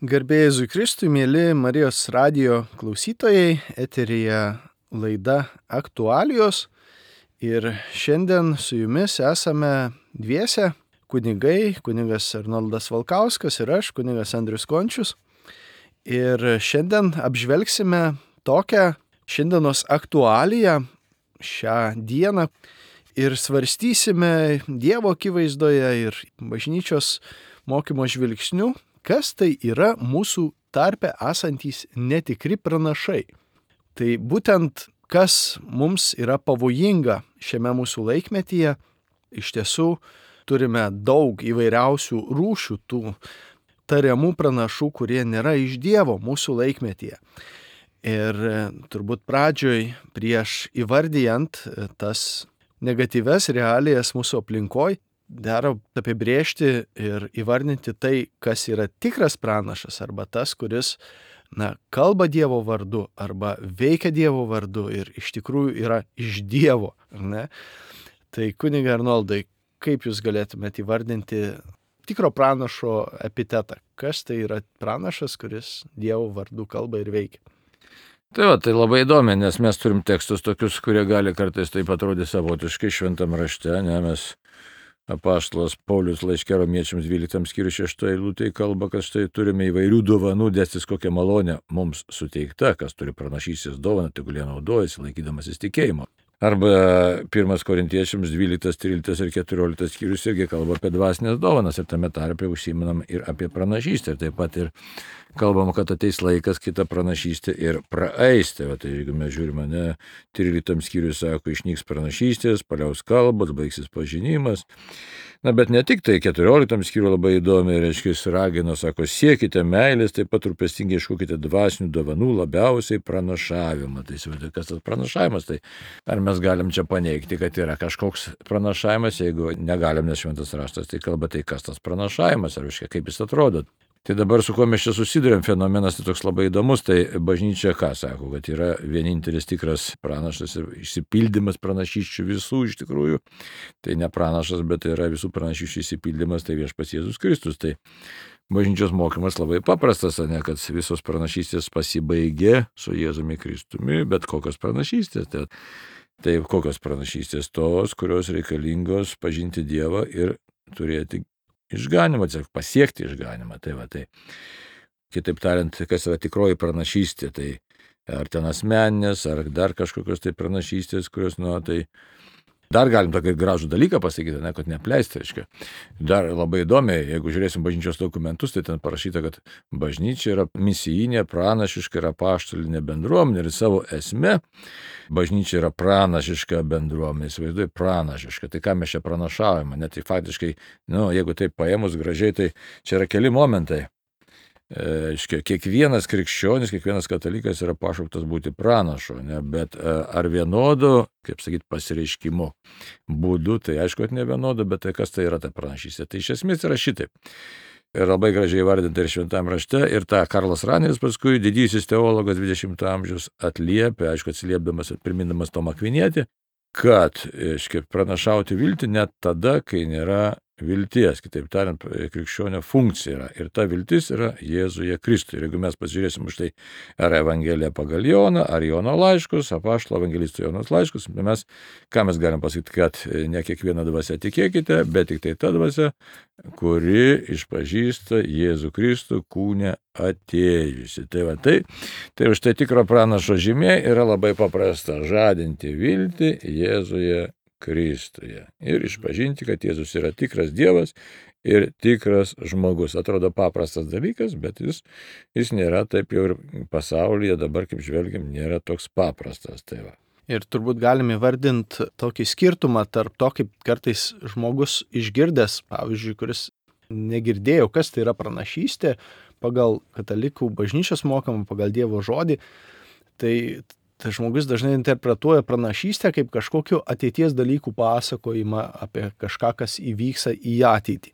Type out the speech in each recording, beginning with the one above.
Garbė Jėzui Kristui, mėly Marijos radijo klausytojai, eteryje laida Aktualijos. Ir šiandien su jumis esame dviese kunigai, kunigas Arnoldas Valkauskas ir aš, kunigas Andrius Končius. Ir šiandien apžvelgsime tokią šiandienos aktualiją šią dieną ir svarstysime Dievo akivaizdoje ir bažnyčios mokymo žvilgsnių, kas tai yra mūsų tarpe esantys netikri pranašai. Tai būtent kas mums yra pavojinga šiame mūsų laikmetyje. Iš tiesų turime daug įvairiausių rūšių tų tariamų pranašų, kurie nėra iš Dievo mūsų laikmetyje. Ir turbūt pradžioj prieš įvardijant tas negatyves realijas mūsų aplinkoj, dera apibrėžti ir įvardinti tai, kas yra tikras pranašas, arba tas, kuris kalba Dievo vardu, arba veikia Dievo vardu ir iš tikrųjų yra iš Dievo. Ne? Tai kunigai Arnoldai, kaip jūs galėtumėte įvardinti tikro pranašo epitetą? Kas tai yra pranašas, kuris Dievo vardu kalba ir veikia? Tai labai įdomi, nes mes turim tekstus tokius, kurie gali kartais taip atrodyti savotiškai šventam rašte, ne, mes apaštalas Paulius laiške Romiečiams 12 skyrius 6 eilutėje kalba, kad štai turime įvairių dovanų, dėstis kokią malonę mums suteikta, kas turi pranašystės dovaną, tegul jie naudojasi, laikydamasis tikėjimo. Arba 1 Korintiečiams 12, 13 ir 14 skyrius irgi kalba apie dvasinės dovanas ir tame tarpe užsiminam ir apie pranašystę. Ir taip pat ir kalbam, kad ateis laikas kita pranašystė ir praeis. Tai jeigu mes žiūrime, 13 skyrius sako, išnyks pranašystės, paliaus kalbos, baigsis pažinimas. Bet ne tik tai 14 skyrių labai įdomi, reiškia, ragino, sako, siekite meilės, taip pat rūpestingai ieškokite dvasinių dovanų, labiausiai pranašavimą. Tai kas tas pranašavimas? Tai ar mes galim čia paneigti, kad yra kažkoks pranašavimas, jeigu negalim, nes šventas raštas tai kalba, tai kas tas pranašavimas, ar visiškai kaip jis atrodo. Tai dabar su kuo mes čia susidurėm, fenomenas tai toks labai įdomus, tai bažnyčia ką sako, kad yra vienintelis tikras pranašas ir išsipildymas pranašysčių visų iš tikrųjų. Tai ne pranašas, bet tai yra visų pranašysčių išsipildymas, tai Viešpats Jėzus Kristus. Tai bažnyčios mokymas labai paprastas, ne, kad visos pranašystės pasibaigė su Jėzumi Kristumi, bet kokios pranašystės. Tai kokios pranašystės? Tos, kurios reikalingos pažinti Dievą ir turėti išganimą, pasiekti išganimą. Tai kitaip tariant, kas yra tikroji pranašystė, tai ar ten asmeninės, ar dar kažkokios tai pranašystės, kurios, tai dar galim tokį gražų dalyką pasakyti, kad neapleisti, reiškia. Dar labai įdomiai, jeigu žiūrėsim bažnyčios dokumentus, tai ten parašyta, kad bažnyčia yra misijinė, pranašiška ir apaštalinė bendruomenė ir savo esme bažnyčia yra pranašiška bendruomenė, įsivaizduoju, pranašiška. Tai ką mes čia pranašavome, net tai faktiškai, jeigu taip paėmus gražiai, tai čia yra keli momentai. Kiekvienas krikščionis, kiekvienas katalikas yra pašauktas būti pranašu, bet ar vienodu, kaip sakyti, pasireiškimo būdu, tai aišku, kad ne vienodu, bet tai kas tai yra ta pranašystė. Tai iš esmės yra šitaip. Ir labai gražiai vardinta ir šventame rašte, ir tą Karlas Raneris paskui, didysis teologas 20 amžiaus atliepia, aišku, atsiliepdamas ir primindamas Tomą Akvinietį, kad pranašauti viltį net tada, kai nėra vilties, kitaip tariant, krikščionio funkcija yra. Ir ta viltis yra Jėzuje Kristuje. Ir jeigu mes pasižiūrėsim už tai, ar Evangelija pagal Joną, ar Jono laiškus, apaštalo evangelisto Jonos laiškus, ką mes galim pasakyti, kad ne kiekvieną dvasią tikėkite, bet tik tai ta dvasia, kuri išpažįsta Jėzų Kristų kūne atėjusi. Tai už tai tikro pranašo žymė yra labai paprasta - žadinti viltį Jėzuje Kristuje ir išpažinti, kad Jėzus yra tikras Dievas ir tikras žmogus. Atrodo paprastas dalykas, bet jis nėra taip jau ir pasaulyje dabar, kaip žvelgiam, nėra toks paprastas. Ir turbūt galime įvardinti tokį skirtumą tarp to, kaip kartais žmogus išgirdęs, pavyzdžiui, kuris negirdėjo, kas tai yra pranašystė, pagal katalikų bažnyčios mokamą, pagal Dievo žodį, tai žmogus dažnai interpretuoja pranašystę kaip kažkokiu ateities dalykų pasakojimą apie kažką, kas įvyks į ateitį.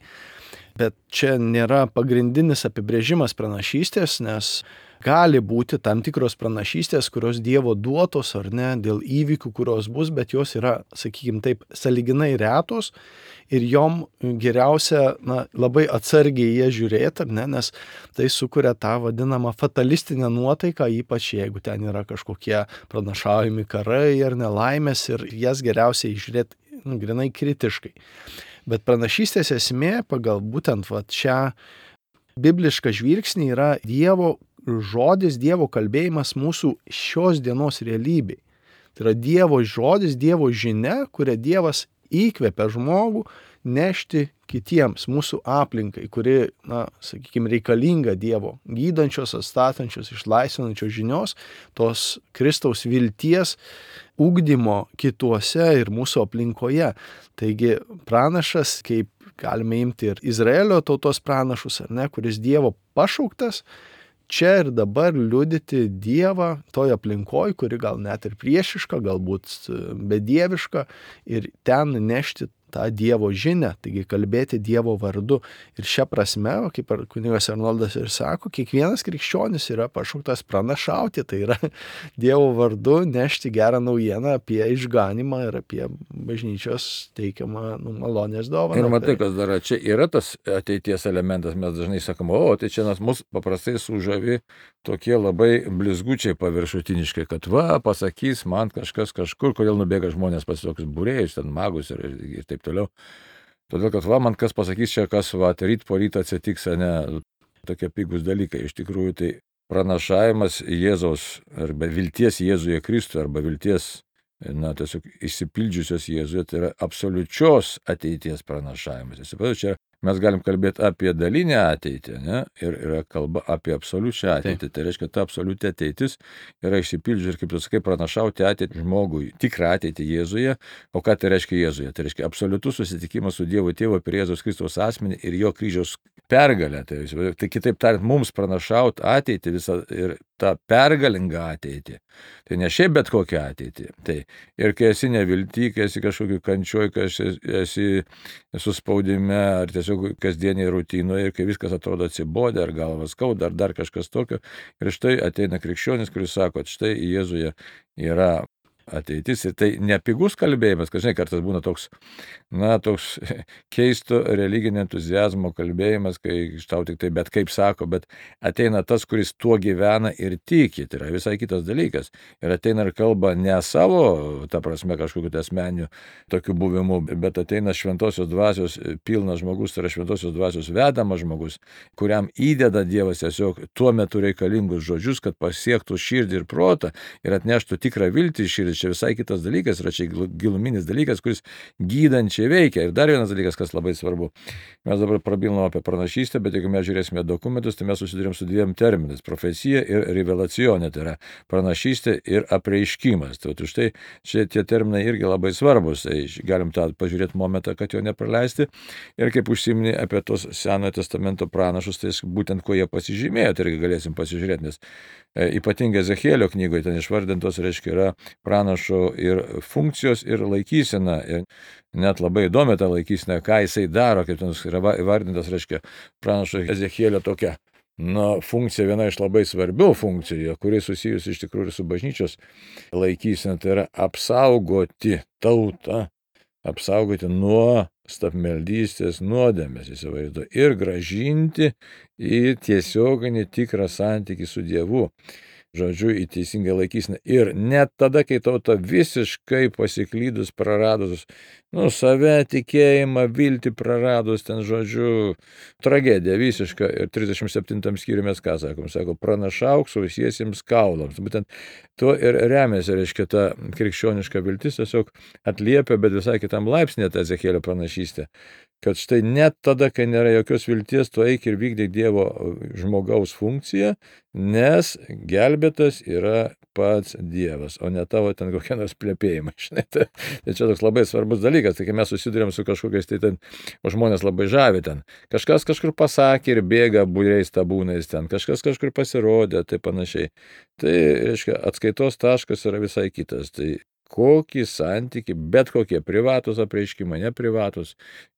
Bet čia nėra pagrindinis apibrėžimas pranašystės, nes gali būti tam tikros pranašystės, kurios Dievo duotos ar ne, dėl įvykių, kurios bus, bet jos yra, sakykime taip, sąlyginai retos ir jom geriausia labai atsargiai jie žiūrėti, ar ne, nes tai sukuria tą vadinamą fatalistinę nuotaiką, ypač jeigu ten yra kažkokie pranašaujami karai ar nelaimės ir jas geriausiai žiūrėti grinai kritiškai. Bet pranašystės esmė pagal būtent šią biblišką žvilgsnį yra Dievo žodis, Dievo kalbėjimas mūsų šios dienos realybei. Tai yra Dievo žodis, Dievo žinia, kurią Dievas įkvepia žmogų nešti kitiems, mūsų aplinkai, kuri, sakykime, reikalinga Dievo gydančios, atstatančios, išlaisvinančios žinios, tos Kristaus vilties ugdymo kituose ir mūsų aplinkoje. Taigi pranašas, kaip galime imti ir Izraelio tautos pranašus, ar ne, kuris Dievo pašauktas, čia ir dabar liudyti Dievą toj aplinkoj, kuri gal net ir priešiška, galbūt bedieviška, ir ten nešti tą Dievo žinią, taigi kalbėti Dievo vardu. Ir šią prasme, kaip kunigas Arnoldas ir sako, kiekvienas krikščionis yra pašauktas pranašauti, tai yra Dievo vardu nešti gerą naujieną apie išganymą ir apie bažnyčios teikiamą malonės dovaną. Ir matai, kas dar, čia yra tas ateities elementas, mes dažnai sakom, tai čia mus paprastai sužavi tokie labai blizgučiai paviršutiniškai, kad pasakys man kažkas kažkur, kodėl nubėga žmonės pas tokius būrėjus, ten magus ir taip toliau. Todėl, kad man kas pasakys čia, kas ryt po rytą atsitiks, ne, tokie pigus dalykai. Iš tikrųjų, tai pranašavimas Jėzaus arba vilties Jėzuje Kristuje arba vilties, tiesiog išsipildžiusios Jėzuje, tai yra absoliučios ateities pranašavimas. Čia mes galim kalbėti apie dalinę ateitį, ne? Ir yra kalba apie absoliučią ateitį. Tai reiškia, ta absoliuti ateitis yra išsipildžiusi ir, kaip tu sakai, pranašauti ateitį žmogui, tikrą ateitį Jėzuje. O ką tai reiškia Jėzuje? Tai reiškia absoliutus susitikimas su Dievo Tėvu per Jėzaus Kristaus asmenį ir jo kryžiaus pergalę. Tai kitaip tariant, mums pranašauti ateitį visą ir tą pergalingą ateitį. Tai ne šiaip bet kokią ateitį. Tai ir kai esi nevilty, kai esi kažkokiu kančioj, kai esi suspaudime ar tiesiog kasdieniai rutinoje ir kai viskas atrodo atsibodę, ar galvas skauda, ar dar kažkas tokio. Ir štai ateina krikščionis, kuris sako, štai Jėzuje yra ateitis. Ir tai nepigus kalbėjimas, kad žinai, kartais būna toks keisto religinio entuziazmo kalbėjimas, kai tau tik tai bet kaip sako, bet ateina tas, kuris tuo gyvena ir tiki, tai yra visai kitas dalykas. Ir ateina ir kalba ne savo, ta prasme, kažkokiu asmeniu tokiu buvimu, bet ateina šventosios dvasios pilnas žmogus, tai yra šventosios dvasios vedamas žmogus, kuriam įdeda Dievas tiesiog tuo metu reikalingus žodžius, kad pasiektų širdį ir protą ir atneštų tikrą viltį į širdį. Čia visai kitas dalykas, yra čia giluminis dalykas, kuris gydančiai veikia. Ir dar vienas dalykas, kas labai svarbu. Mes dabar prabilom apie pranašystę, bet jeigu mes žiūrėsime dokumentus, tai mes susidurėm su dviem terminais - profesija ir revelacionė, tai yra pranašystė ir apreiškimas. Tai štai čia tie terminai irgi labai svarbus, tai galim tą pažiūrėti momentą, kad jo nepraleisti. Ir kaip užsiminė apie tos Senojo testamento pranašus, tai būtent kuo jie pasižymėjo, tai irgi galėsim pasižiūrėti, nes ypatingai Ezechielio knygoje ten išvardintos, reiškia, yra pranašo ir funkcijos ir laikysena. Ir net labai įdomi ta laikysena, ką jisai daro, kaip ten yra įvardintas, reiškia, pranašo Ezechielio tokia funkcija, viena iš labai svarbių funkcijų, kuri susijusi iš tikrųjų su bažnyčios laikysena, tai yra apsaugoti tautą, apsaugoti nuo stabmeldystės nuodėmės, įsivaizduoju, ir gražinti į tiesioginį tikrą santykį su Dievu. Žodžiu, į teisingą laikyseną. Ir net tada, kai tauta visiškai pasiklydus, praradus, save, tikėjimą, viltį praradus, ten, žodžiu, tragedija visiška. Ir 37 skyriuje mes ką sakom? Sako, pranašauk sausiesiems kaulams. Būtent tuo ir remiasi, reiškia, ta krikščioniška viltis tiesiog atliepia, bet visai kitam laipsnė ta Ezechielio pranašystė. Kad štai net tada, kai nėra jokios vilties, tu eik ir vykdyk Dievo žmogaus funkciją, nes gelbėtas yra pats Dievas, o ne tavo ten kokie nors plepėjimai. Tai čia toks labai svarbus dalykas, tai kai mes susidurėm su kažkokiais, tai ten žmonės labai žavi ten. Kažkas kažkur pasakė ir bėga būriais tabūnais ten, kažkas kažkur pasirodė, tai panašiai. Tai, reiškia, atskaitos taškas yra visai kitas. Tai kokį santykį, bet kokie privatus apreiškimai, neprivatus,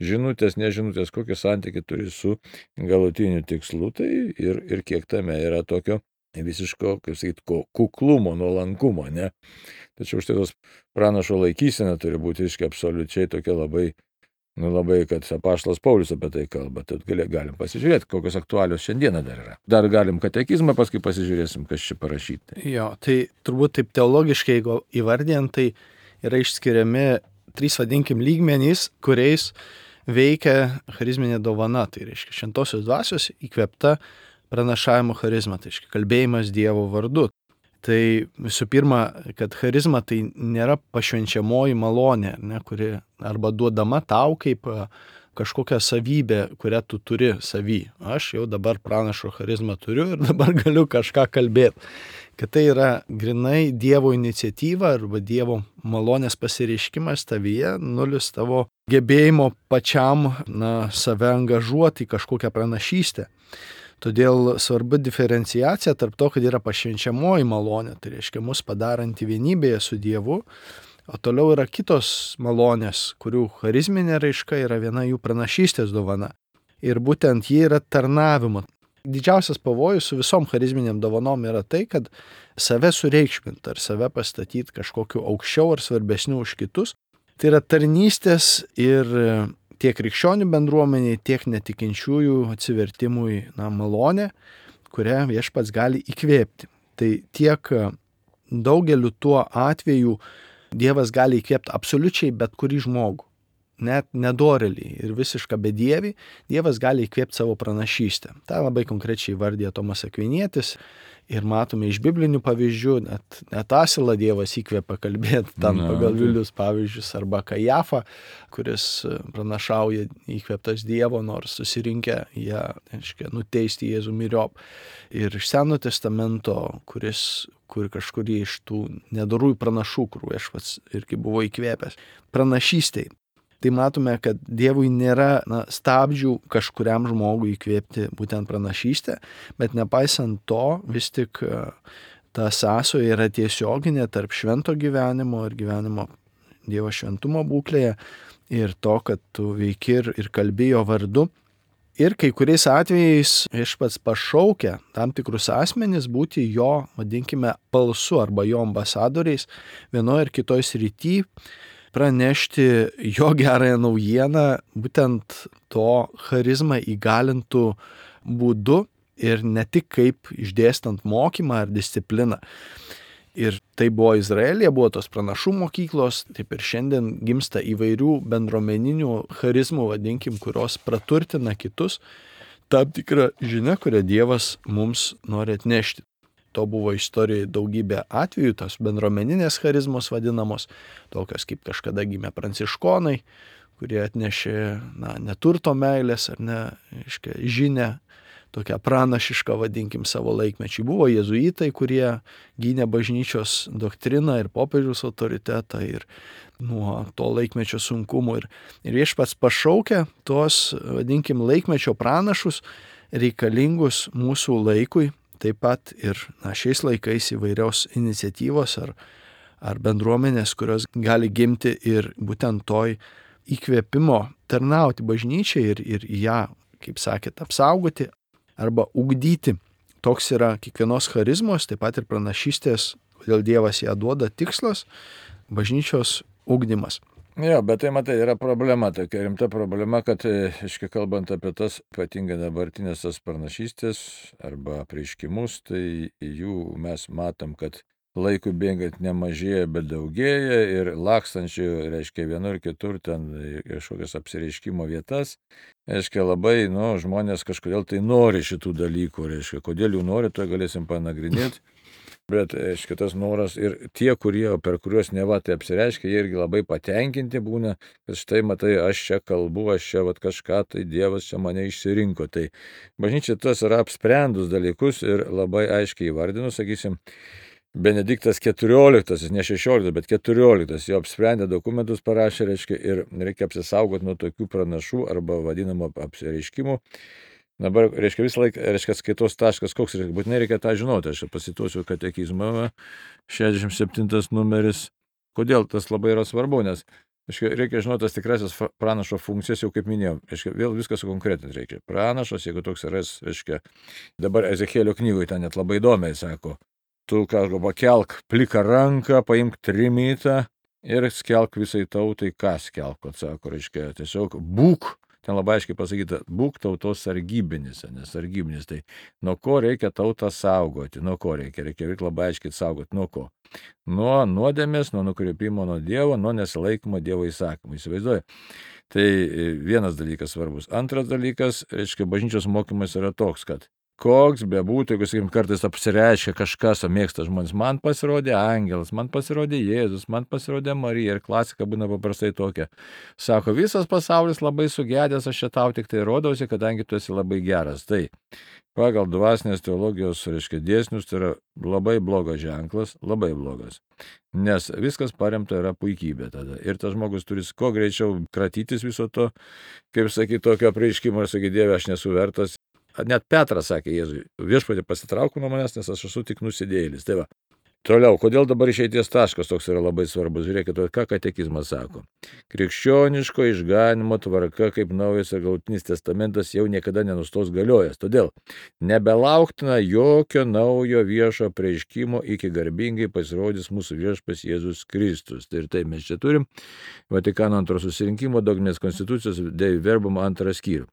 žinutės, nežinutės, kokį santykį turi su galutiniu tikslu, tai ir kiek tame yra tokio visiško, kaip sakyt, kuklumo, nuolankumo, ne? Tačiau štai tos pranašo laikysena turi būti absoliučiai tokia labai, kad apaštalas Paulius apie tai kalba. Tad galim pasižiūrėti, kokios aktualios šiandieną dar yra. Dar galim katekizmą, paskui pasižiūrėsim, kas čia parašyti. Jo, tai turbūt taip teologiškai, jeigu įvardijant, tai yra išskiriami 3, vadinkim, lygmenys, kuriais veikia charizminė dovana. Tai reiškia šventosios dvasios įkvėpta pranašavimo charizma, tai reiškia kalbėjimas Dievo vardu. Tai visų pirma, kad charizma tai nėra pašvenčiamoji malonė, ne, kuri arba duodama tau kaip kažkokia savybė, kurią tu turi savy. Aš jau dabar pranašo charizmą turiu ir dabar galiu kažką kalbėti. Kad tai yra grinai Dievo iniciatyva arba Dievo malonės pasireiškimas tavyje, nulis tavo gebėjimo pačiam save angažuoti į kažkokią pranašystę. Todėl svarbu diferenciacija tarp to, kad yra pašvenčiamoji malonė, tai reiškia mus padaranti vienybėje su Dievu, o toliau yra kitos malonės, kurių charizminė raiška yra viena jų pranašystės dovana. Ir būtent ji yra tarnavimo. Didžiausias pavojus su visom charizminiam dovanom yra tai, kad save sureikšmint ar save pastatyti kažkokiu aukščiau ar svarbesniu už kitus. Tai yra tarnystės ir tiek krikščionių bendruomeniai, tiek netikinčiųjų atsivertimui malonė, kurią Viešpats gali įkvėpti. Tai tiek daugeliu tuo atveju Dievas gali įkvėpti absoliučiai bet kurį žmogų, net nedorėlį ir visišką bedievį, Dievas gali įkvėpti savo pranašystę. Tai labai konkrečiai vardija Tomas Akvinietis ir matome iš biblinių pavyzdžių, net Asilą Dievas įkvėpia kalbėti ten pagal Vilius pavyzdžius, arba Kajafą, kuris pranašauja įkvėptas Dievo, nors susirinkę jie, nuteisti Jėzų myriop. Ir iš Seno testamento, kur kažkurį iš tų nedorųjų pranašų, kur Viešpats irgi buvo įkvėpęs, pranašystei. Tai matome, kad Dievui nėra stabdžių kažkuriam žmogui įkvėpti būtent pranašystę, bet nepaisant to, vis tik ta sąsaja yra tiesioginė tarp švento gyvenimo ir gyvenimo Dievo šventumo būklėje ir to, kad tu veiki ir kalbi jo vardu. Ir kai kuriais atvejais Viešpats pašaukia tam tikrus asmenis būti jo, vadinkime, balsu arba jo ambasadoriais vienoje ir kitoje srityje, pranešti jo gerąją naujieną būtent to charizmą įgalintų būdu ir ne tik kaip išdėstant mokymą ar discipliną. Ir tai buvo Izraelyje, buvo tos pranašų mokyklos, taip ir šiandien gimsta įvairių bendruomeninių charizmų, vadinkim, kurios praturtina kitus, tam tikrą žinią, kurią Dievas mums nori atnešti. To buvo istorijoje daugybė atvejų, tos bendruomeninės charizmos vadinamos, tokios kaip kažkada gimė pranciškonai, kurie atnešė neturto meilės ar žinią, tokią pranašišką, vadinkim, savo laikmečiai. Buvo jėzuitai, kurie gynė bažnyčios doktriną ir popiežiaus autoritetą ir nuo to laikmečio sunkumų. Ir Viešpats pašaukia tos, vadinkim, laikmečio pranašus reikalingus mūsų laikui. Taip pat ir šiais laikais įvairios iniciatyvos ar bendruomenės, kurios gali gimti ir būtent toj įkvėpimo tarnauti bažnyčiai ir ją, kaip sakėt, apsaugoti arba ugdyti. Toks yra kiekvienos charizmos, taip pat ir pranašystės, kodėl Dievas ją duoda, tikslas - bažnyčios ugdymas. Jo, bet tai matai, yra problema, tokia rimta problema, kad, kalbant apie tas ypatingai dabartinės tas pranašystės arba apreiškimus, tai jų mes matom, kad laikui bėgant nemažėja, bet daugėja ir lakstančių, vienur ir kitur ten kažkokias apsireiškimo vietas. Labai, žmonės kažkodėl tai nori šitų dalykų, kodėl jų nori, to galėsim panagrinėti. Bet, tas noras ir tie, per kuriuos neva tai apsireiškia, jie irgi labai patenkinti būna, kad štai matai, aš čia kalbu, aš čia kažką, tai Dievas čia mane išsirinko. Tai bažnyčia tas yra apsprendus dalykus ir labai aiškiai įvardinus, sakysim, Benediktas XIV, ne 16, bet 14, jo apsprendė dokumentus parašė, ir reikia apsisaugoti nuo tokių pranašų arba vadinamo apsireiškimų. Dabar, visą laiką, skaitos taškas, koks būtinai reikia tą žinoti. Aš pasituosiu katekizmą, 67 numeris. Kodėl tas labai yra svarbu, nes Reikia žinoti tas tikrasis pranašo funkcijas, jau kaip minėjau. Vėl viską sukonkretinti reikia. Pranašas, jeigu toks yra, dabar Ezekėlio knygoje ten net labai įdomiai sako, tu kažko pakelk pliką ranką, paimk trimitą ir skelk visai tautai, ką skelk, sako, tiesiog būk. Ten labai aiškiai pasakyta, būk tautos sargybinis, nes sargybinis, tai nuo ko reikia tautą saugoti, nuo ko reikia labai aiškiai saugoti, nuo ko. Nuo nuodėmės, nuo nukreipimo nuo Dievo, nuo nesilaikymo Dievo įsakymų. Įsivaizduoju. Tai vienas dalykas svarbus. Antras dalykas, bažnyčios mokymas yra toks, kad koks bebūtų, jeigu, sakykim, kartais apsireiškia kažkas, o mėgsta žmonės, man pasirodė angelas, man pasirodė Jėzus, man pasirodė Marija, ir klasika būna paprastai tokia. Sako, visas pasaulis labai sugedęs, aš čia tau tik tai rodausi, kadangi tu esi labai geras. Tai pagal dvasinės teologijos, dėsnius, tai yra labai blogas ženklas, labai blogas. Nes viskas paremta yra puikybė tada. Ir tas žmogus turi kuo greičiau kratytis viso to, kaip sakyti, tokio apreiškimo, ir sakyti, Dieve, aš nesu vertas. Net Petras sakė Jėzui, viešpatie pasitrauk nuo manęs, nes aš esu tik nusidėjėlis. Tai va. Toliau, kodėl dabar išeities taškas toks yra labai svarbus? Žiūrėkite, ką katekizmas sako. Krikščioniško išganimo tvarka kaip naujas ir galutinis testamentas jau niekada nenustos galiojęs. Todėl nebelauktina jokio naujo viešo apreiškimo iki garbingai pasirodys mūsų viešpats Jėzus Kristus. Tai ir tai mes čia turim Vatikano antro susirinkimo dogminės konstitucijos Dei Verbum antrą skyrių.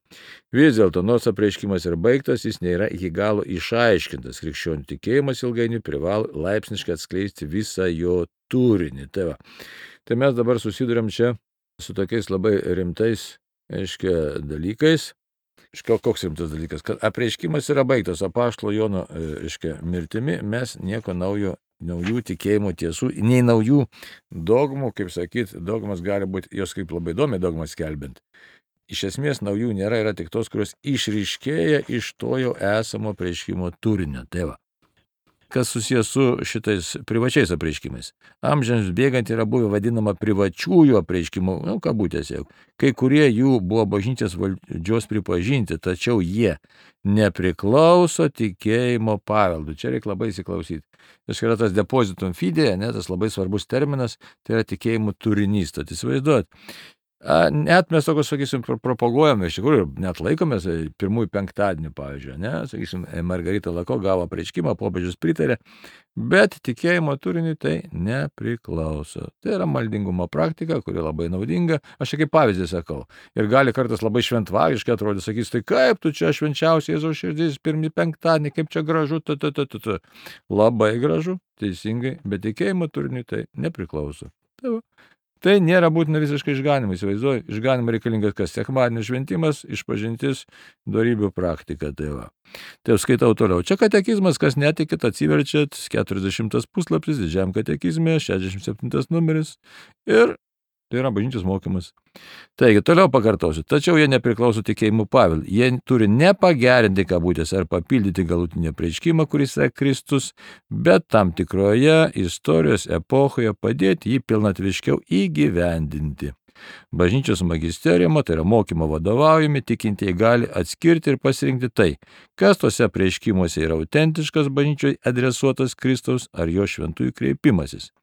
Vis dėlto, nors apreiškimas yra baigtas, jis nėra iki galo išaiškintas. Krikščionių tikėjimas ilgainiui privalo laipsniškai atskleisti visą jo turinį. Tai mes dabar susiduriam čia su tokiais labai rimtais, dalykais. Koks rimtas dalykas? Kad apreiškimas yra baigtas apaštalo Jono, mirtimi, mes nieko naujų tikėjimo tiesų, nei naujų dogmų, kaip sakyti, dogmas gali būti, jos kaip labai įdomi dogmas skelbiant. Iš esmės naujų nėra, yra tik tos, kurios išryškėja iš to jau esamo apreiškimo turinio. Tai va. Kas susijęs su šitais privačiais apreiškimais. Amžiams bėgant yra buvę vadinama privačiųjų apreiškimų, kabutėse. Kai kurie jų buvo bažnyčios valdžios pripažinti, tačiau jie nepriklauso tikėjimo paveldui. Čia reikia labai įsiklausyti. Yra tas depositum fide, tas labai svarbus terminas, tai yra tikėjimo turinys. Tad įsivaizduot. Net mes tokios, sakysim, propaguojame, iš tikrųjų, net laikomės pirmųjų penktadienių, pavyzdžiui, sakysim, Margarita Lako gavo apreiškimą, popiežius pritarė, bet tikėjimo turiniui tai nepriklauso. Tai yra maldingumo praktika, kuri labai naudinga, aš čia kaip pavyzdį sakau, ir gali kartais labai šventvagiškai atrodyti, sakys, tai kaip tu čia švenčiausiai Jėzaus širdis, pirmį penktadienį, kaip čia gražu, Labai gražu, teisingai, bet tikėjimo turiniui tai nepriklauso. Tai nėra būtina visiškai išganimui, įsivaizduoju, išganimui reikalingas kas? Sekmadienio šventimas, išpažintis, dorybių praktika. Tai skaitau toliau. Čia katekizmas, kas netikit, atsiverčiat, 40 puslapis, didžiam katekizme, 67 numeris ir tai yra bažnyčios mokymas. Taigi, toliau pakartosiu. Tačiau jie nepriklauso tikėjimų paveldui. Jie turi nepagerinti kabutės ar papildyti galutinį apreiškimą, kuris yra Kristus, bet tam tikroje istorijos epochoje padėti jį pilnatviškiau įgyvendinti. Bažnyčios magisteriumo, tai yra mokymo vadovaujami, tikintieji gali atskirti ir pasirinkti tai, kas tose apreiškimuose yra autentiškas bažnyčiai adresuotas Kristaus ar jo šventųjų kreipimasis.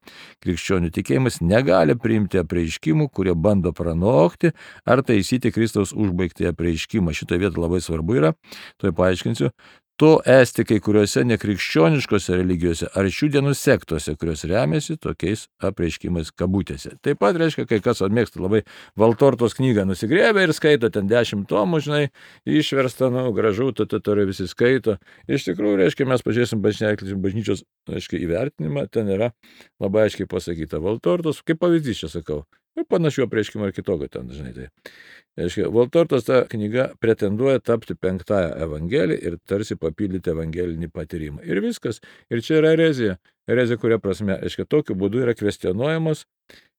Krikščionių tikėjimas negali priimti apreiškimų, kurie bando pranokti ar taisyti Kristaus užbaigtąjį apreiškimą. Šitoje vietoje labai svarbu yra, tuoj paaiškinsiu, to esti kai kuriuose nekrikščioniškose religijose ar šių dienų sektose, kurios remiasi tokiais apreiškimais kabutėse. Taip pat reiškia, kai kas mėgsta labai Valtortos knygą nusigrėbę ir skaito ten 10 tomų, išversta, gražu, visi skaito. Iš tikrųjų, reiškia, mes pažiūrėsim bažnyčios įvertinimą, ten yra labai aiškiai pasakyta Valtortos, kaip pavyzdys čia sakau. Ir panašių apreiškimų ir kitokio ten dažnai. Valtortos ta knyga pretenduoja tapti 5-ąją evangeliją ir tarsi papildyti evangelinį patyrimą. Ir viskas. Ir čia yra erezija. Erezija, kuria prasme, tokiu būdu yra kvestionuojamos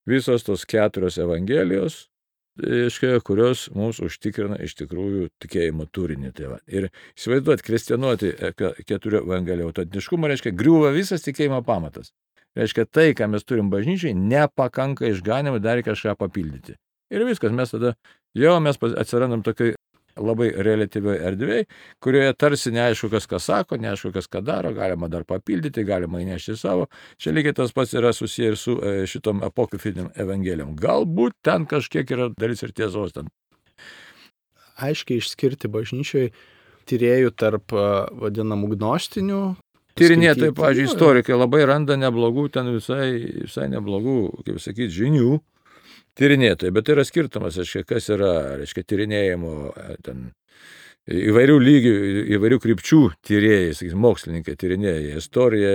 visos tos 4 evangelijos, kurios mums užtikrina iš tikrųjų tikėjimo turinį. Ir įsivaizduoti, kvestionuoti 4 evangelijų autentiškumą, griūva visas tikėjimo pamatas. Tai, ką mes turim bažnyčiai, nepakanka išganimui, dar kažką papildyti. Ir viskas, mes tada, mes atsirandam tokiai labai relatyvioj erdvėj, kurioje tarsi neaišku, kas ką sako, neaišku, kas ką daro, galima dar papildyti, galima įnešti savo. Čia lygiai tas pats yra susiję ir su šitom apokrifiniam evangelijom. Galbūt ten kažkiek yra dalis ir tiesos ten. Aiškiai išskirti bažnyčioj tyrėjų tarp vadinamų gnostinių. Tyrinėtojai, pavyzdžiui, istorikai labai randa neblogų, ten visai neblogų, kaip sakyti, žinių. Tyrinėtojai, bet tai yra skirtumas, kas yra, tyrinėjimo ten įvairių lygių, įvairių krypčių tyrėjai, sakysim, mokslininkai tyrinėja istoriją,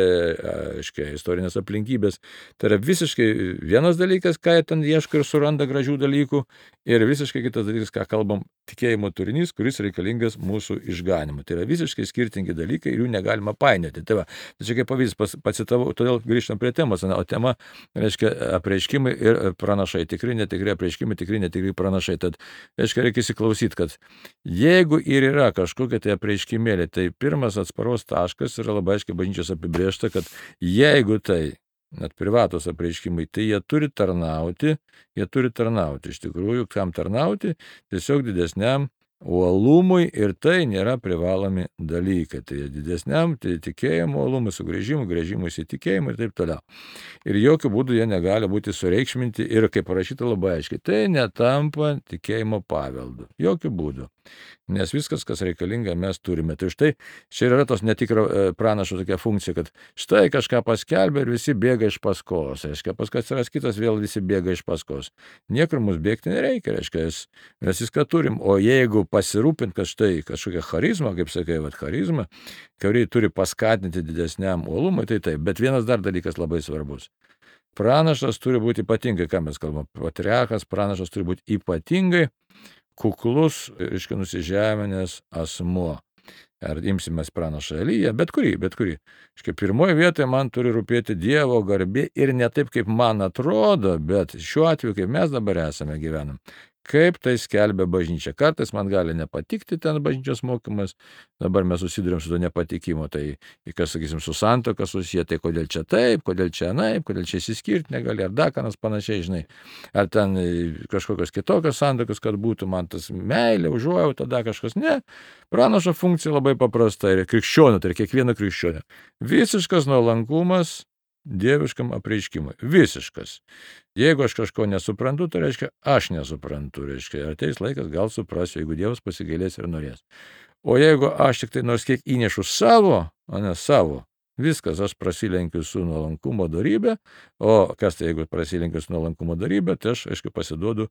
istorinės aplinkybės. Tai yra visiškai vienas dalykas, ką jie ten ieško ir suranda gražių dalykų, ir visiškai kitas dalykas, ką kalbam, tikėjimo turinys, kuris reikalingas mūsų išganimui. Tai yra visiškai skirtingi dalykai ir jų negalima painioti. Tai va, tai čia kaip pavyzdys pacitavau, todėl grįžtam prie temos, o tema, apreiškimai ir pranašai, tikri, netikri apreiškimai, tikri, netikri pranašai. Tad, reikia įsiklausyti, kad jeigu ir yra kažkokia tai apreiškimėlė, tai pirmas atsparos taškas yra labai aiškiai bažnyčios apibrėžta, kad jeigu tai net privatus apreiškimai, tai jie turi tarnauti, iš tikrųjų, kam tarnauti, tiesiog didesniam uolumui, ir tai nėra privalomi dalykai. Tai didesniam tikėjimo uolumui, sugrįžimui įsitikėjimui ir taip toliau. Ir jokių būdų jie negali būti sureikšminti ir, kaip parašyta labai aiškiai, tai netampa tikėjimo paveldu. Jokių būdų. Nes viskas, kas reikalinga, mes turime. Tai štai čia yra tos netikro pranašo tokia funkcija, kad štai kažką paskelbė ir visi bėga iš paskos. Paskui atsiras kitas, vėl visi bėga iš paskos. Niekur mums bėgti nereikia, mes viską turim. O jeigu pasirūpint, kad štai kažkokia charizma, kaip sakai, charizma, kuri turi paskatinti didesniam uolumui, tai taip. Bet vienas dar dalykas labai svarbus. Pranašas turi būti ypatingai, ką mes kalbam, patriarchas, pranašas turi būti ypatingai kuklus, nusižeminęs asmuo. Ar imsimės pranašą Eliją, bet kurį. Pirmoje vietoje man turi rūpėti Dievo garbė ir ne taip, kaip man atrodo, bet šiuo atveju, kaip mes dabar esame gyvenam. Kaip tai skelbia bažnyčia. Kartais man gali nepatikti ten bažnyčios mokymas, dabar mes susidurėm su to nepatikimu, tai kas, sakysim, su santuoka susiję, tai kodėl čia taip, kodėl čia anaip, kodėl čia įsiskirti negali, ar dakanas panašiai, žinai, ar ten kažkokios kitokios santuokos, kad būtų man tas meilė, užuojauta, tada kažkas, ne. Pranašo funkcija labai paprasta ir krikščionio, tai kiekvieno krikščionio. Visiškas nuolankumas dieviškam apreiškimui. Visiškas. Jeigu aš kažko nesuprantu, tai reiškia, aš nesuprantu. Ateis laikas, gal suprasiu, jeigu Dievas pasigailės ir norės. O jeigu aš tik tai nors kiek įnešu savo, viskas, aš prasilenkiu su nuolankumo dorybė, o kas tai, jeigu prasilenkiu su nuolankumo dorybė, tai aš, pasiduodu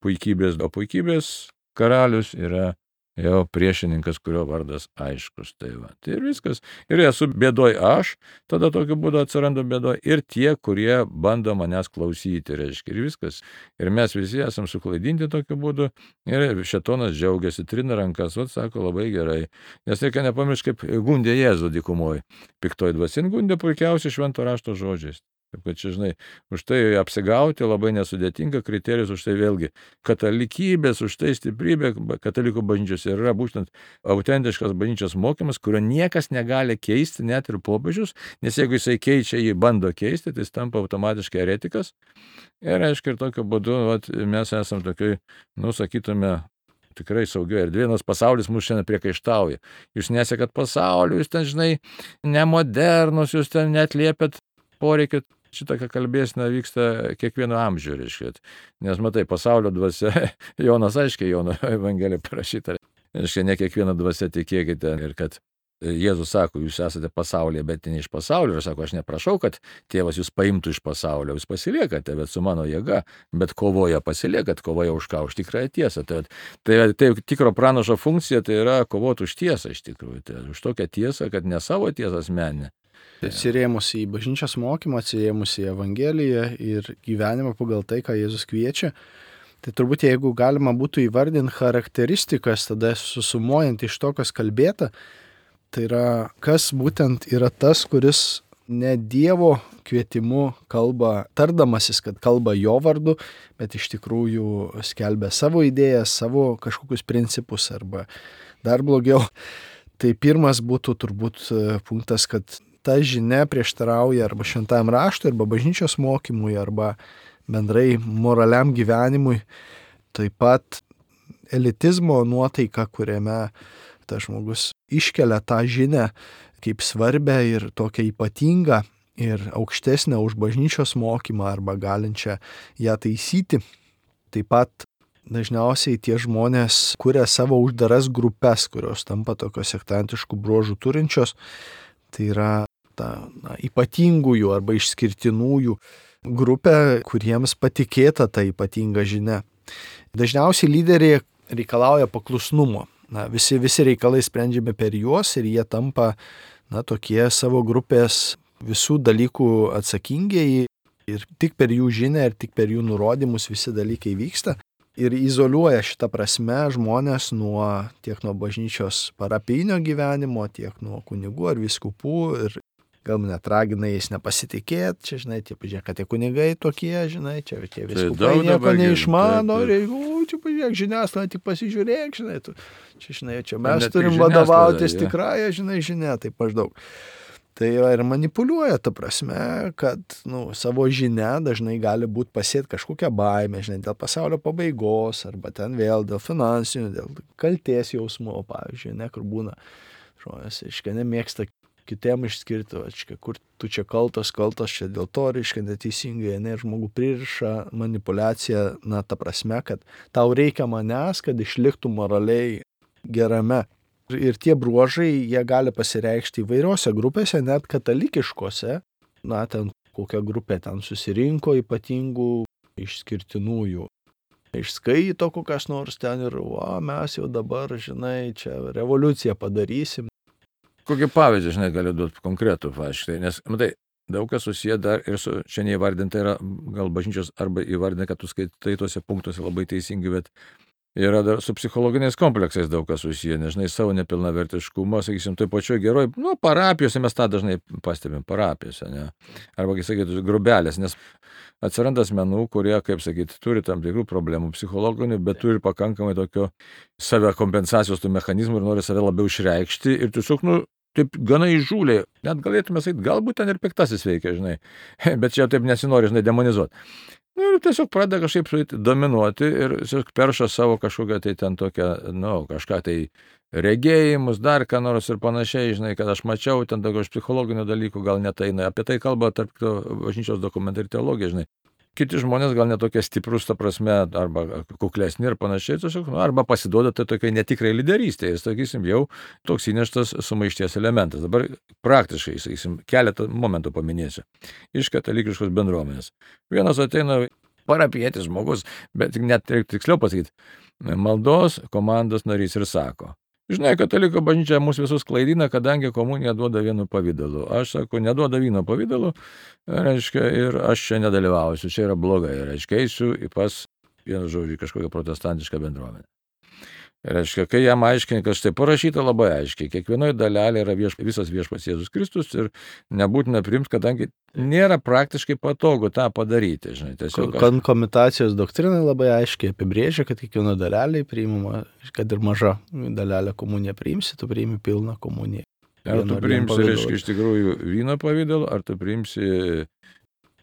puikybės, o puikybės karalius yra jau priešininkas, kurio vardas aiškus. Tai ir viskas. Ir esu bėdoj aš, tada tokiu būdu atsiranda bėdoj ir tie, kurie bando manęs klausyti, ir viskas. Ir mes visi esam suklaidinti tokiu būdu ir šėtonas džiaugiasi, trina rankas, sako, labai gerai. Nes reikia nepamiršti, kaip gundė Jėzų dykumoj. Piktoji dvasia gundė puikiausiai švento rašto žodžiais. Taip, kad čia, žinai, už tai apsigauti labai nesudėtinga, kriterijus už tai vėlgi katalikybės, už tai stiprybė katalikų bažnyčios yra būtent autentiškas bažnyčios mokymas, kurio niekas negali keisti, net ir popiežius, nes jeigu jisai keičia, jį bando keisti, tai jis tampa automatiškai eretikas. Ir aišku, ir tokiu būdu mes esam tokioj, sakytume, tikrai saugioje erdvėje, nors pasaulis mūsų šiandien priekaištauja. Jūs nesekat pasaulio, jūs ten, žinai, nemodernus, jūs ten neatliepėt poreikį. Šitokia kalbėsena vyksta kiekvieno amžių, nes matai, pasaulio dvasia, Jonas aiškiai, Jono Evangelija parašyta, ne kiekviena dvasia tikėkite, ir kad Jėzus sako, jūs esate pasaulyje, bet ne iš pasaulio, ir sako, aš neprašau, kad tėvas jūs paimtų iš pasaulio, jūs pasiliekate, bet su mano jėga, bet kovoje pasiliekat, kovoje už ką, už tikrąją tiesą. Tai tikro pranašo funkcija, tai yra kovoti už tiesą iš tikrųjų, tai už tokią tiesą, kad ne savo tiesą asmeninę. Atsirėmus į bažnyčios mokymą, atsirėmus į Evangeliją ir gyvenimą pagal tai, ką Jėzus kviečia, tai turbūt jeigu galima būtų įvardinti charakteristikas, tada susumuojant iš to, kas kalbėta, tai yra, kas būtent yra tas, kuris ne Dievo kvietimu kalba, tardamasis, kad kalba jo vardu, bet iš tikrųjų skelbia savo idėjas, savo kažkokius principus arba dar blogiau. Tai pirmas būtų turbūt punktas, kad ta žinia prieštarauja arba šventajam raštui, arba bažnyčios mokymui, arba bendrai moraliam gyvenimui. Taip pat elitizmo nuotaika, kuriame tas žmogus iškelia tą žinią kaip svarbę ir tokią ypatingą ir aukštesnę už bažnyčios mokymą arba galinčią ją taisyti. Taip pat dažniausiai tie žmonės kuria savo uždaras grupes, kurios tampa tokios sektantiškų bruožų turinčios. Tai yra ypatingųjų arba išskirtinųjų grupė, kuriems patikėta ta ypatinga žinia. Dažniausiai lyderiai reikalauja paklusnumo. Visi reikalai sprendžiami per juos ir jie tampa tokie savo grupės visų dalykų atsakingieji ir tik per jų žinią ir tik per jų nurodymus visi dalykai vyksta. Ir izoliuoja šitą prasme žmonės tiek nuo bažnyčios parapijinio gyvenimo, tiek nuo kunigų ar vyskupų ir gal net ragina jais nepasitikėti, čia, žinai, pažiūrėk, kad tie kunigai tokie, žinai, čia tie vyskupai nieko neišmano, čia pažiūrėk, žiniasklaida, tik pasižiūrėk, žinai, čia, žinai, čia mes turim vadovautis tikrąją, žinai, žinia, taip maždaug. Tai ir manipuliuoja ta prasme, kad savo žinia dažnai gali būti pasėti kažkokią baimę, žinai, dėl pasaulio pabaigos, arba ten vėl dėl finansinių, dėl kaltės jausmo, pavyzdžiui, kur būna žmonės, nemėgsta kitiem išskirti, kur tu čia kaltas čia dėl to, neteisingai, žmogų pririša manipuliacija, ta prasme, kad tau reikia manęs, kad išliktų moraliai gerame. Ir tie bruožai, jie gali pasireikšti įvairiose grupėse, net katalikiškose, ten kokia grupė ten susirinko ypatingų išskirtinųjų. Išskaito kokias nors ten ir, mes jau dabar, žinai, čia revoliuciją padarysim. Kokį pavyzdį, žinai, galiu duoti konkretų paaiškinti, nes, matai, daug kas susiję dar ir su, čia neįvardinta yra, gal bažnyčios arba įvardinta, kad tu skaitai tuose punktuose labai teisingai, bet yra dar su psichologiniais kompleksais daug kas susiję, nežinai, savo nepilnavertiškumą, sakysim, toj pačioj geroj, parapijose mes tą dažnai pastebim, parapijose, ne, arba, kaip sakyti, grubelės, nes atsiranda asmenų, kurie, kaip sakyti, turi tam tikrų problemų psichologinių, bet turi pakankamai tokio save kompensacijos tų mechanizmų ir nori save labiau išreikšti ir tiesiog, taip gana įžūliai, net galėtume sakyti, galbūt ten ir piktasis veikia, žinai, bet čia taip nesinori, žinai, demonizuoti. Ir tiesiog pradeda kažkaip dominuoti ir tiesiog perša savo kažkokią tai ten tokią, kažką tai regėjimus, dar ką nors ir panašiai, žinai, kad aš mačiau ten daugiau iš psichologinių dalykų, gal netai, apie tai kalba tarp bažnyčios dokumentai ir teologija, žinai. Kiti žmonės gal netokie stiprus, ta prasme, arba kuklesni ir panašiai, tiesiog, arba pasiduoda tai tokiai netikrai lyderystė, ir, sakysim, jau toks įneštas sumaišties elementas. Dabar praktiškai, sakysim, keletą momentų paminėsiu. Iš katalikiškos bendruomenės. Vienas ateina parapietis žmogus, bet net tiksliau pasakyti, maldos komandos narys ir sako, žinai, kataliko bažnyčia mūsų visus klaidina, kadangi komunija duoda vienu pavydalu. Aš sakau, neduoda vyno pavydalu, reiškia, ir aš čia nedalyvausiu, čia yra blogai, reiškia, eisiu pas, vienu žodžiu, kažkokią protestantišką bendruomenę. Reiškia, kai jam aiškini, kad štai parašyta labai aiškiai, kiekvienoje dalelė yra visas viešpats Jėzus Kristus ir nebūtina priimti, kadangi nėra praktiškai patogu tą padaryti. Žinai, tiesiog Komitacijos doktrinai labai aiškiai apibrėžia, kad kiekvieno dalelė priimama, kad ir maža dalelė komuniją priimsi, tu priimi pilną komuniją. Ar tu priimsi, reiškia, iš tikrųjų vyno pavydalu, ar tu priimsi...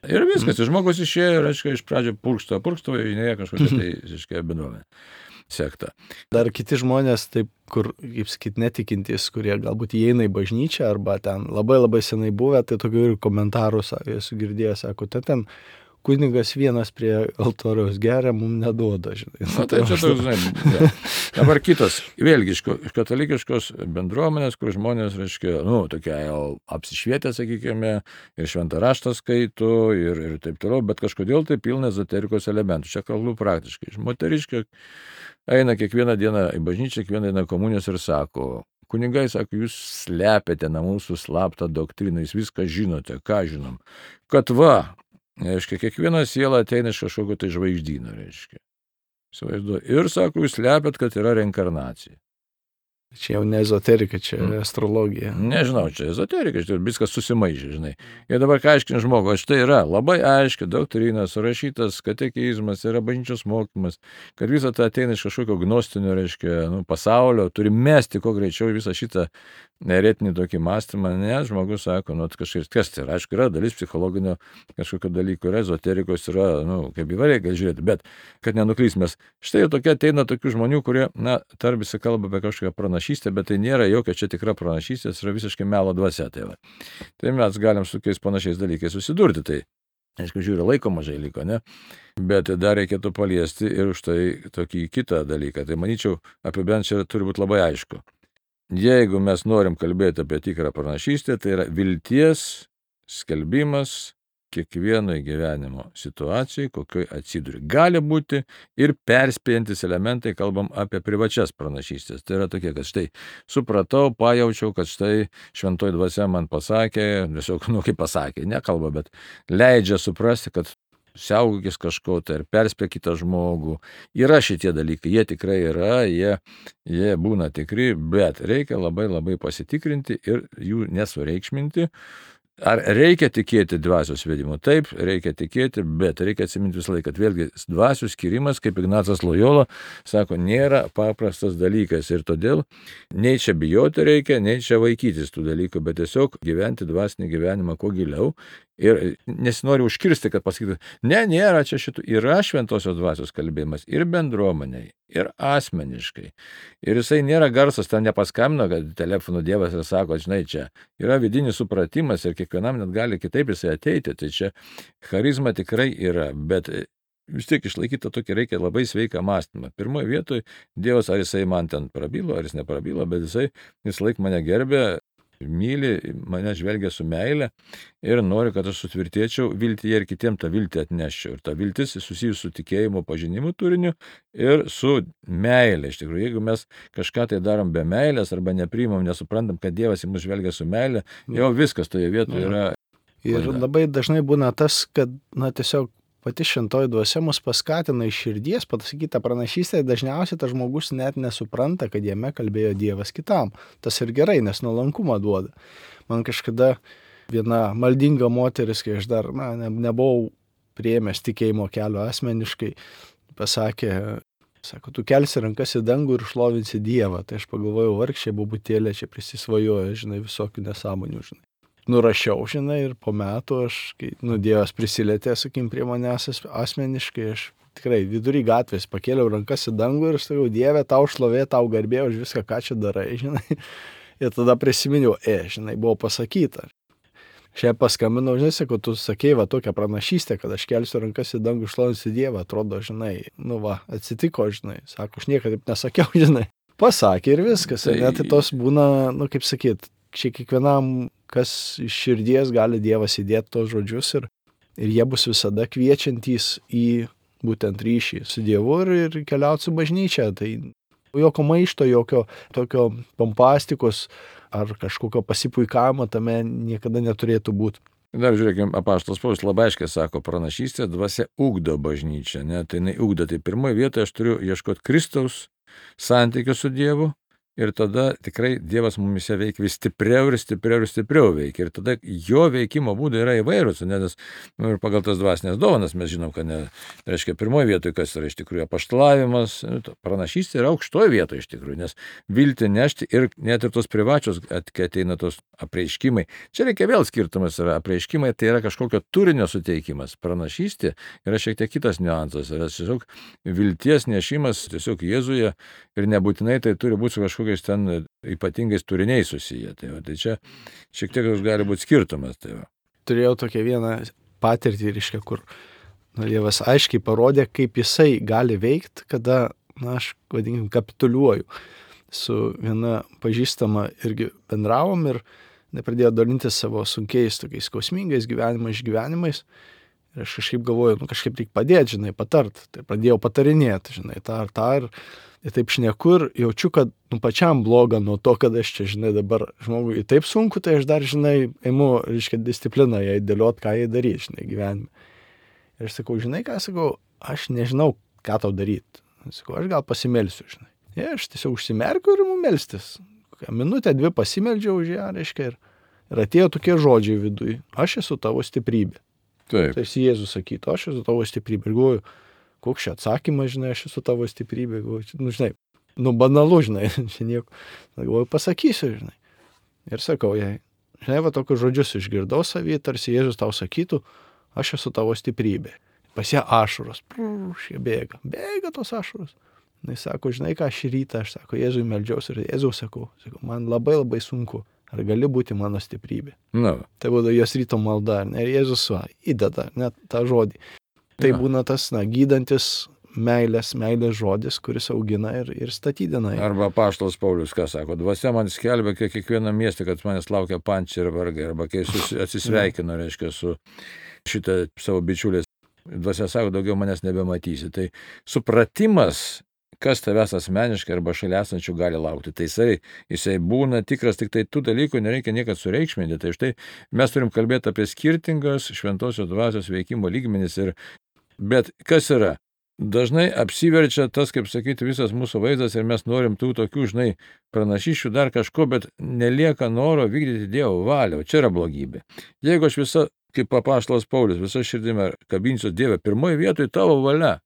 Ir viskas, žmogus išėjo, reiškia, iš pradžio purkšto, įnėja kažkokia tai, reiškia, bendruomenė. Sekta. Dar kiti žmonės, taip, kur, kaip sakyt, netikintys, kurie galbūt įeina į bažnyčią arba ten labai senai buvę, tai tokių ir komentarų esu girdėjęs, sako, ten kunigas vienas prie altoriaus geria, mums neduoda, žinai. Tai čia toks, žinai. Ja. Dabar kitas, vėlgi, iš katalikiškos bendruomenės, kur žmonės, reiškia, tokie jau apsišvietę, sakykime, ir šventą raštą skaito, ir taip toliau, bet kažkodėl tai pilna ezoterikos elementų. Čia kalbu praktiškai. Moteriškė eina kiekvieną dieną į bažnyčią, kiekvieną dieną komunijos ir sako, kunigai, sako, jūs slepiate nuo mūsų slaptą doktriną, jūs viską žinote, ką žinom. Kad reiškia, kiekviena siela ateina iš kažkokio tai žvaigždyno, reiškia. Ir sako, jūs slepiat, kad yra reinkarnacija. Čia jau ne ezoterika, čia astrologija. Nežinau, čia ezoterika, viskas susimaišė, žinai. Ir dabar ką aiškini žmogų, štai yra labai aiški doktrina, surašytas katekizmas, yra bažnyčios mokymas, kad visą tą ateina iš kažkokio gnostinio, reiškia, pasaulio, turi mesti kuo greičiau visą šitą eretinį tokį mąstymą, nes žmogus sako, kažkaip kas tai yra, aišku, yra dalis psichologinio kažkokio dalyko, yra ezoterikos, yra, kaip įvairiai gali žiūrėti, bet kad nenuklys mes. Štai tokia ateina tokių žmonių, kurie, tarsi kalba apie kažkokią pranašystę, bet tai nėra jokia čia tikra pranašystė, tai yra visiškai melo dvasia. Tai mes galim su tokiais panašiais dalykais susidurti. Tai, aišku, žiūri, laiko mažai liko, ne? Bet dar reikėtų paliesti ir už tai tokį kitą dalyką. Tai manyčiau, apibendrinant čia turi būti labai aišku. Jeigu mes norim kalbėti apie tikrą pranašystę, tai yra vilties skelbimas kiekvienai gyvenimo situacijai, kokioj atsiduri. Gali būti ir perspėjantis elementai, kalbam apie privačias pranašystės. Tai yra tokie, kad štai supratau, pajaučiau, kad štai šventoji dvasia man pasakė, tiesiog, kaip pasakė, nekalba, bet leidžia suprasti, kad siaugokis kažko tai ir perspėk kitą žmogų. Yra šitie dalykai, jie tikrai yra, jie būna tikri, bet reikia labai labai pasitikrinti ir jų nesureikšminti. Ar reikia tikėti dvasios vedimu? Taip, reikia tikėti, bet reikia atsiminti visą laiką, kad vėlgi dvasių skirimas, kaip Ignacas Lojola sako, nėra paprastas dalykas ir todėl nei čia bijoti reikia, nei čia vaikytis tų dalykų, bet tiesiog gyventi dvasinį gyvenimą kuo giliau ir nesinori užkirsti, kad pasakytų, nėra čia šitų, yra šventosios dvasios kalbėjimas ir bendruomeniai, ir asmeniškai. Ir jisai nėra garsas, ten nepaskambino, kad telefonu Dievas ir sako, žinai, čia yra vidinis supratimas ir kiekvienam net gali kitaip jisai ateiti, tai čia charizma tikrai yra, bet vis tiek išlaikyti tokį reikia labai sveiką mąstymą. Pirmoje vietoje Dievas, ar jisai man ten prabilo, ar jis neprabilo, bet jisai visą laiką mane gerbė, myli, mane žvelgia su meile ir nori, kad aš sutvirtėčiau viltyje ir kitiem tą viltį atneščiau. Ir ta viltis susijusi su tikėjimo pažinimu turiniu ir su meilė. Iš tikrųjų, jeigu mes kažką tai darom be meilės arba nepriimam, nesuprantam, kad Dievas į mus žvelgia su meile, jau viskas toje vietoje yra. Ir labai dažnai būna tas, kad, tiesiog pati šventoji dvasia mus paskatina iš širdies pasakyti tą pranašystę, dažniausiai tas žmogus net nesupranta, kad jame kalbėjo Dievas kitam. Tas ir gerai, nes nuolankumą duoda. Man kažkada viena maldinga moteris, kai aš dar nebuvau priėmęs tikėjimo kelio asmeniškai, pasakė, sako, tu kelsi rankas į dangų ir šlovinsi Dievą. Tai aš pagalvojau, vargšė bobutėlė čia prisisvajoja, visokių nesąmonių, Nurašiau, ir po metų aš, kai Dievas prisilietė, prie manęs asmeniškai, aš tikrai vidury gatvės pakėliau rankas į dangų ir sakau, Dieve, tau šlovė, tau garbė už viską, ką čia darai, Ir tada prisiminiau, buvo pasakyta. Šiandien paskambinau, sakau, tu sakei tokią pranašystę, kad aš kelsiu rankas į dangų, šlovinsiu Dievą, atrodo, atsitiko, sako, aš niekada taip nesakiau, Pasakė ir viskas, tai tos būna, kaip sakyt, čia kiekvienam, kas iš širdies gali Dievas įdėti tos žodžius ir jie bus visada kviečiantys į būtent ryšį su Dievu ir keliauti su bažnyčia. Tai jokio maišto, jokio tokio pompastikos ar kažkokio pasipuikavimo tame niekada neturėtų būti. Dar žiūrėkime, apaštalas Paulius labai aiškiai sako, pranašystė dvasia ugdo bažnyčią, tai jinai ugdo. Tai pirmoje vietoje aš turiu ieškoti Kristaus santykio su Dievu. Ir tada tikrai Dievas mumise veikia vis stipriau ir stipriau ir stipriau veikia. Ir tada jo veikimo būdai yra įvairūs, nes ir pagal tas dvasinės dovanas mes žinom, kad reiškia pirmoje vietoje, kas yra iš tikrųjų apaštalavimas, pranašystė yra aukštoje vietoje iš tikrųjų, nes viltį nešti ir net ir tos privačios, kai ateina tos apreiškimai. Čia reikia vėl skirtumas yra apreiškimai, tai yra kažkokio turinio suteikimas. Pranašystė yra šiek tiek kitas niuansas, yra tiesiog vilties nešimas tiesiog Jėzuje ir nebūtinai tai turi būti kažkokiais ten ypatingais turiniais susiję. Tai čia šiek tiek gali būti skirtumas. Turėjau tokią vieną patirtį, kur Dievas aiškiai parodė, kaip jisai gali veikti, kada, aš, kapituliuoju. Su viena pažįstama irgi bendravom ir pradėjo dalintis savo sunkiais, tokiais skausmingais išgyvenimais. Ir aš kažkaip galvoju, kažkaip reikia padėti, patart. Tai pradėjau patarinėti, tą ir taip šneku ir jaučiu, kad pačiam bloga nuo to, kad aš čia, dabar žmogui taip sunku, tai aš dar, imu, discipliną jai dėliot, ką jai daryti, gyvenime. Ir aš sakau, ką sakau, aš nežinau, ką tau daryti. Sakau, aš gal pasimelsiu, Ir aš tiesiog užsimerkiu ir melstis. Minutę, 2 pasimeldžiau už ją, reiškia, ir atėjo tokie žodžiai viduj. Aš esu tavo stiprybė. Taip. Tai Jėzus sakytų, aš esu tavo stiprybė. Ir galvoju, koks čia atsakymas, žinai, aš esu tavo stiprybė. Galvoju, banalu, žinai, čia nieko. Galvoju, pasakysiu, žinai. Ir sakau jai, žinai, va tokius žodžius išgirdau savį, tarsi Jėzus tau sakytų, aš esu tavo stiprybė. Pas ją ašaros, jie bėga tos ašaros. Jis sako, žinai ką, šį rytą aš sako, Jėzui meldžiausi ir Jėzau sakau, man labai labai sunku, ar gali būti mano stiprybė. Tai būtų jos ryto malda, ir Jėzus įdeda net tą žodį. Tai būna tas, gydantis meilės žodis, kuris augina ir statydina. Arba apaštalas Paulius, ką sako, dvasia man skelbia kiekvieną miestą, kad manęs laukia pančiai ir vargai, arba kai atsisveikino, reiškia, su šitą savo bičiulės. Dvasia sako, daugiau manęs nebematysi. Tai supratimas, kas tavęs asmeniškai arba šalia esančių gali laukti. Tai jisai būna tikras, tik tai tų dalykų nereikia niekad sureikšminti. Tai štai mes turim kalbėti apie skirtingas šventosios dvasios veikimo lygmenis. Bet kas yra? Dažnai apsiverčia tas, kaip sakyti, visas mūsų vaizdas ir mes norim tų tokių, žinai, pranašysčių dar kažko, bet nelieka noro vykdyti Dievo valią. Čia yra blogybė. Jeigu aš visą, kaip apaštalas Paulius, visą širdimi kabinsiu Dievę, pirmoji vietoj tavo valia.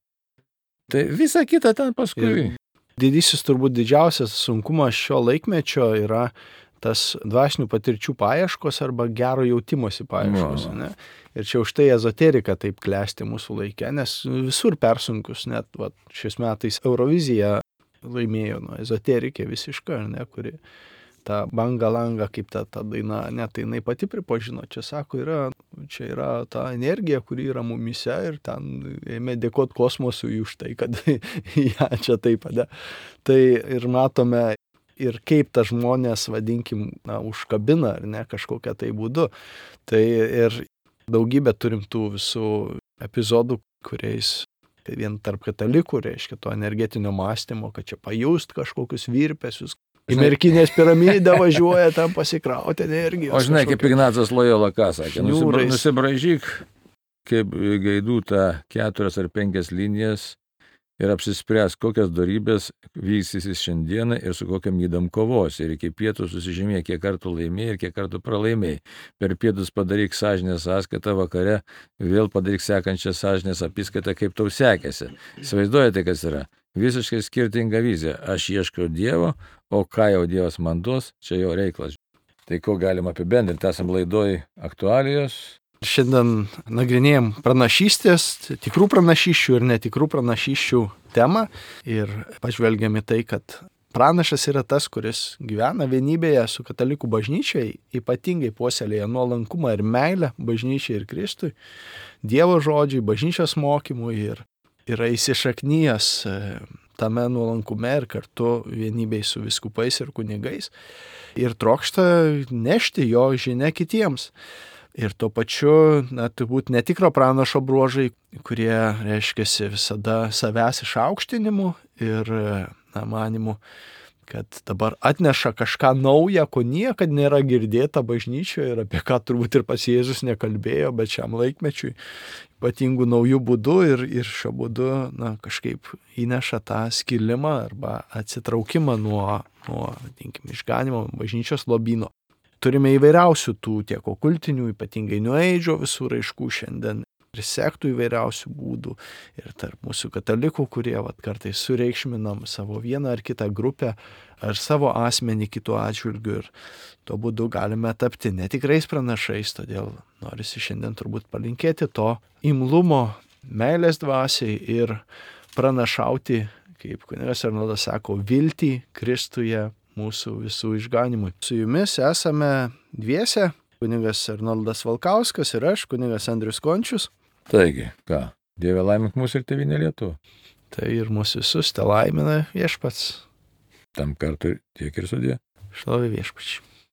Tai visa kita ten paskui. Didysis turbūt didžiausias sunkumas šio laikmečio yra tas dvasinių patirčių paieškos arba gero jautimosi paieškos. Ne? Ir čia už tai ezoterika taip klesti mūsų laike, nes visur persunkus, net šiais metais Eurovizija laimėjo ezoterikė visiška, ne, kuri tą banga langą, kaip ta daina, net tai jinai pati pripažino, čia sako, čia yra ta energija, kuri yra mumise ir ten ėmė dėkoti kosmosui už tai, kad ją čia taip padė. Tai ir matome ir kaip ta žmonės, vadinkim, užkabina, ar ne, kažkokią tai būdu. Tai ir daugybę turim tų visų epizodų, kuriais vien tarp katalikų, reiškia, to energetinio mąstymo, kad čia pajust kažkokius virpesius. Į Merkinės piramidę važiuoja tam pasikrauti energijos. O žinai, kaip Ignacas Lojola ką sakė, nusibraižyk kaip gaidų tą 4 ar 5 linijas ir apsispręs, kokias dorybės vystysis šiandieną ir su kokiam ydam kovos. Ir iki pietų susižymė, kiek kartų laimėjai ir kiek kartų pralaimėjai. Per pietus padaryk sąžinės sąskaitą, vakare vėl padaryk sekančią sąžinės apskaitą, kaip tau sekėsi. Įsivaizduojate, kas yra? Visiškai skirtinga vizija. Aš ieškau Dievo, o ką jau Dievas man duos, čia jo reiklas. Tai ko galima apibendrinti? Esam laidoj aktualijos. Šiandien nagrinėjom pranašystės, tikrų pranašysčių ir netikrų pranašysčių temą ir pažvelgiam į tai, kad pranašas yra tas, kuris gyvena vienybėje su katalikų bažnyčiai, ypatingai puoselėja nuolankumą ir meilę bažnyčiai ir Kristui, Dievo žodžiui, bažnyčios mokymui ir yra įsišaknyjęs tame nuolankume ir kartu vienybėj su vyskupais ir kunigais ir trokšta nešti jo žinią kitiems. Ir tuo pačiu, turbūt netikro pranašo bruožai, kurie reiškiasi visada savęs išaukštinimu ir manimu, kad dabar atneša kažką naują, ko niekad nėra girdėta bažnyčioje ir apie ką turbūt ir pats Jėzus nekalbėjo, bet šiam laikmečiui ypatingų naujų būdų ir šio būdu kažkaip įneša tą skilimą arba atsitraukimą nuo išganimo bažnyčios lobyno. Turime įvairiausių tų tiek okultinių, ypatingai New Age'o visų raiškų šiandien ir sektų įvairiausių būdų ir tarp mūsų katalikų, kurie kartais sureikšminam savo vieną ar kitą grupę ar savo asmenį kitų atžvilgių ir tuo būdu galime tapti netikrais pranašais, todėl norisi šiandien turbūt palinkėti to imlumo, meilės dvasiai ir pranašauti, kaip kunigas Arnoldas sako, viltį Kristuje mūsų visų išganimui. Su jumis esame dviese, kunigas Arnoldas Valkauskas ir aš, kunigas Andrius Končius. Taigi, ką, Dieve laimink mūsų ir tėvynę Lietuvą. Tai ir mūsų visus te laimina Viešpats. Tam kartui tiek ir sudie. Šlovė Viešpačiui.